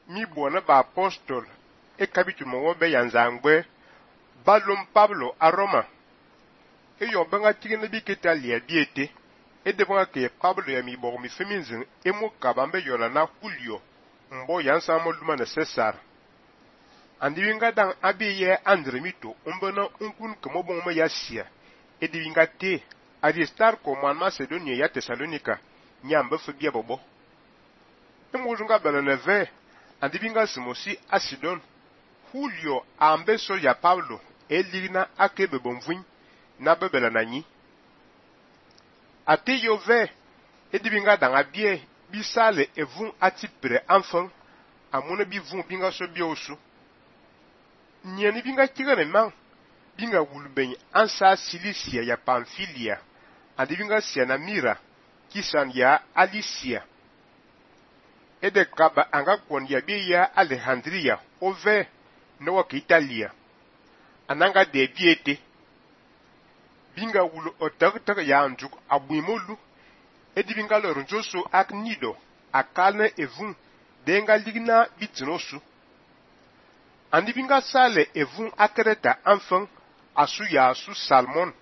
mi bona ba apostol e capítulo mo be yanzangbe balum Pablo a Roma e yo benga tigene bi ketalia biete e de benga ke Pablo ya mi bo mi feminzin e mo kabambe yola na Julio mbo yansa mo luma na Cesar andi winga dan abiye Andre mito umbona unkun kemo bon mo yasia e di winga te Aristarco man Macedonia ya Thessalonica nyamba fobia bobo e mo junga beleneve andi winga simosi Asidon Julio ambe so ya Pablo e ligna akebe bonvin na bebela nanyi ate yove e di winga dan abie bisale evun atipre enfant amuna bi vun binga so biosu nyeni binga tigane man binga wulben ansa Cilicia ya Pamphylia andi binga siana Mira kisan ya Alicia ede kaba anga kwon ya bi ya Alejandria ove no wa Italia ananga de biete binga wulu otak ya anjuk abuimolu edi binga lorunjoso ak nido akalne evun denga ligna bitinosu andi binga sale evun akreta enfant asu ya su Salmon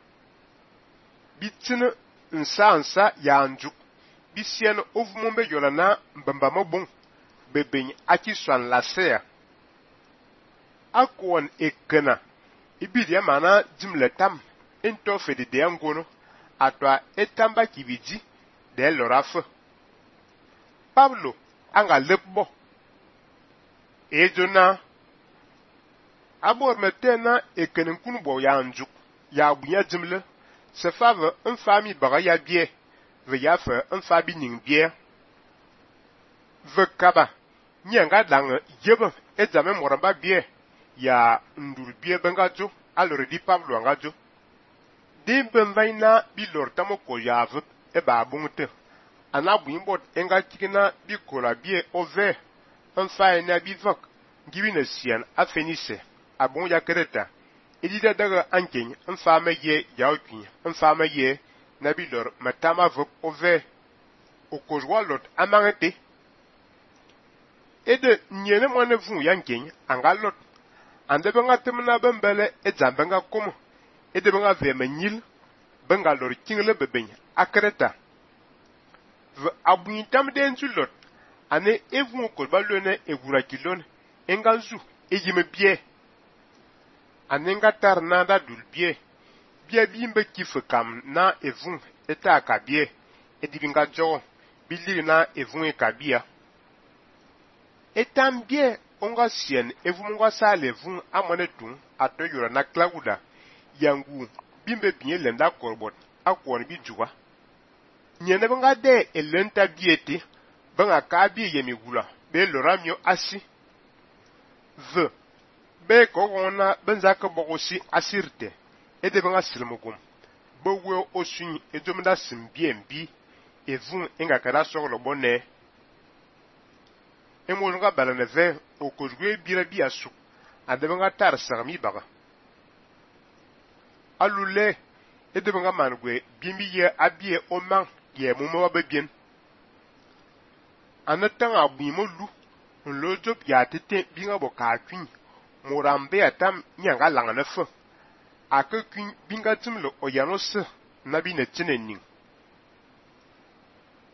bitin nsa ya anjuk bisien ovumombe yolana mbamba mobon beben aki swan lasea akwon ekena ibidia mana jimletam into fede de angono atwa etamba kibiji de lorafe Pablo anga lepbo ejona abor metena ekenen kunbo ya anjuk ya bunya jimle se fave un fami baga ya bie ve ya fe un fabi ning bie ve kaba nyanga dang yebe ezame moramba bie ya ndur bie bengajo alore di Pablo angajo de benvaina bi lortamo ko yave e ba bungte anabu imbot enga tikina bi kola bie ove un faina bi vak giwina sian afenise abon ya kereta edida daga anken un fama ye yaokin un fama ye nabilor matama vok ove okozwa lot amangete ede nyene mwane vun yanken anga lot ande benga temna bembele e zambenga komo ede benga vema nyil benga lor kingle beben akreta v abuin tam den zulot ane evun ko balone e gura kilon enganzu e yime bie anenga tar na da dul bie bimbe kife kam na evun eta kabie edibinga jo bili na evun e kabia etam bie onga sien evumunga sale vun amone tun atoyura na klauda yangu bimbe binye lenda korbot akwon bi juwa nyene benga de elenta biete benga kabi yemi gula be loramio asi v be ko wona benza ko bogosi asirte ede benga silmugum bowe osun edomda simbiembi evun enga kara soglo bonne emolunga balaneve okozwe bira biasu adebenga tar sarmi baga alule edebenga mangwe bimbiye abie oman ye mumo babien anatanga abimolu nlojo ya tete binga boka kwin murambe atam nyanga langana fo akakwin binga timlo oyanose nabi na tinenin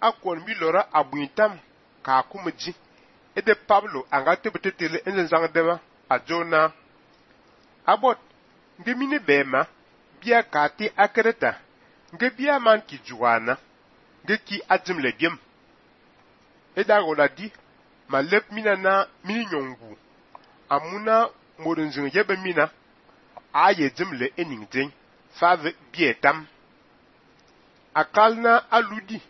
akwon bi lora abuintam ka kumji ede Pablo anga tebetetele enzang dema ajona abot ngemine bema bia kati akreta nge bia man ki juana nge ki ajimle biem eda goladi malep mina na mini nyongu amuna modunzing yebe mina aye jimle eningden fave bietam akalna aludi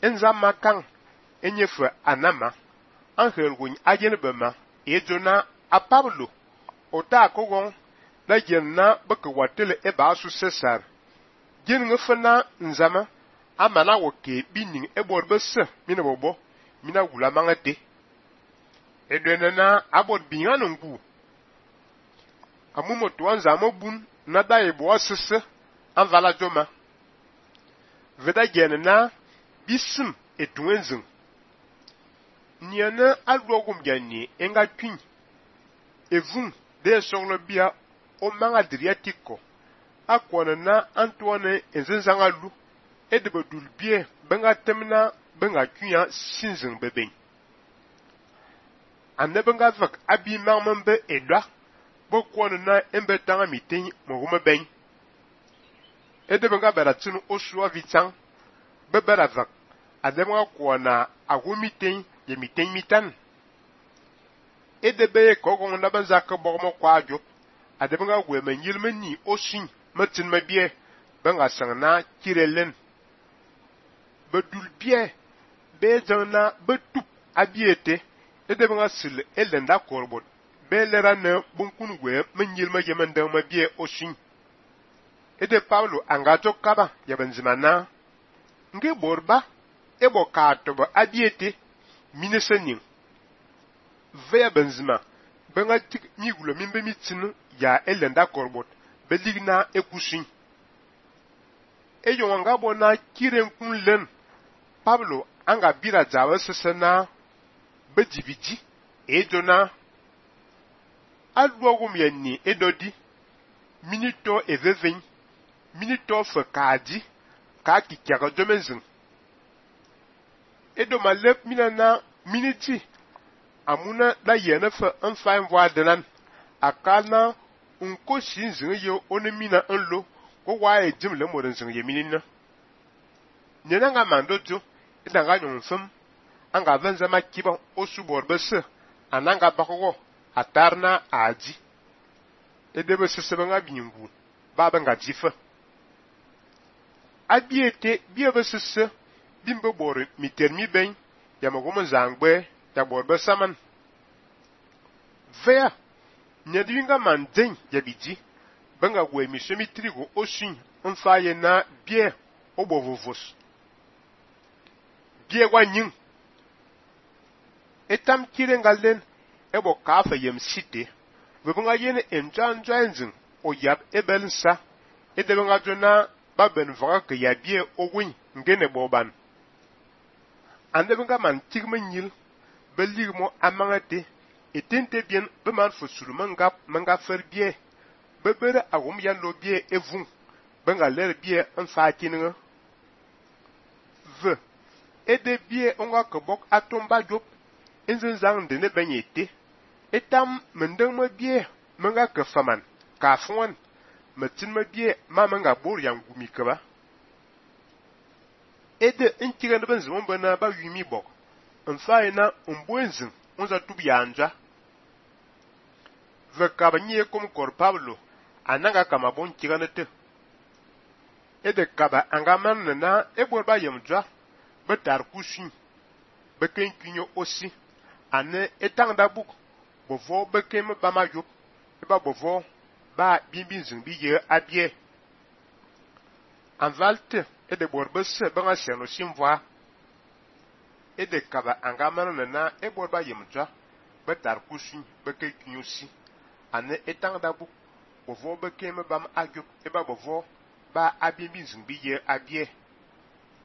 enzama kan enyefe anama angel gun ajen bema ejona a Pablo ota kogon la jenna baka watele e ba su Cesar gen ngefana nzama amana woke bining e borbese mina bobo mina gula mangate edwenana abot binyano ngu amumo tuanza mobun na dai bo asese anvala joma veda jenna bisim etuenzin Niana alwogum yani enga twin. Evun de songlo bia o manga Adriatico. Akwana na Antoine enzenzanga lu. De bedul bie benga temna benga twin sinzing beben. Ane benga vak abi marmembe edwa. Bokwana na embe tanga miten morume ben. De benga beratinu osua vitang. Bebera vak. Ane benga kwana agumiten ye miten mitan. De beye kogon na benzaka bormo kwa diop. Ade benga weme nyilme ni osin metin mebie benga sangna kirelen. Bedul bie be jana betup abiete. De benga sil elenda korbot. Be lera ne bunkun we menyilme yemende mebie osin. De Paulo angato kaba ya benzimana. Nge borba ebo katoba abiete minesenin. Veya benzima benga tik migulo mimbe mitinu ya elenda korbot beligna ekusin. Eyo anga bona kiren kunlen Pablo anga bira jawe sesena bedividi edona alwogum yenni edodi minito eveven minito fakadi ka kikyaka domenzin. Edo malep minana miniti amuna da yene fe enfain voa denan akana unko shinzin yo onemina enlo ko wae jim le moden zin yeminina nena nga mandojo idanga nyonfem anga venza makiba osubor bese ananga bakoko atarna aji edebe sesebe nga bingu baba nga jifa abiete biebe sese bimbe bor mitermi ben yamagomo zangbe ya borbe saman. Vea, nyadwinga mandeng ya biji, benga we mishemi trigo osin, onfaye na bie obovovos. Bie wanying. Etam kirengalen, ebo kafa yem site, webenga yene enjang o yab ebelinsa, edebenga jona baben vaga ke ya bie owin ngene boban. Andebenga man tigmenyil, beligmo amangate etente bien be man fo sulumanga manga fer bie bebere agum ya lo bie evun benga ler bie en fakininga ve ede bie onga kebok atomba jop enzenzang de ne benyete etam mendeng ma bie manga ke faman ka fon metin ma bie ma manga bor yang gumi keba ede inkiga ne benzon bana ba yumi bok enfaina umbwenzin onza tubiyanja vekaba nye kom kor Pablo ananga kama bon kiganete ede kaba angaman na eborba yemdwa betar kushin beken kinyo osi ane etangda buk bovo bekem bama yop eba bovo ba bimbinzin biye abie anvalte ede borbese banga seno simva ede kaba angaman na eborba yemdwa betar kushin beken kinyo si ane etangda buk bovo bekem bam agop eba bovo ba abimbi zumbi ye abie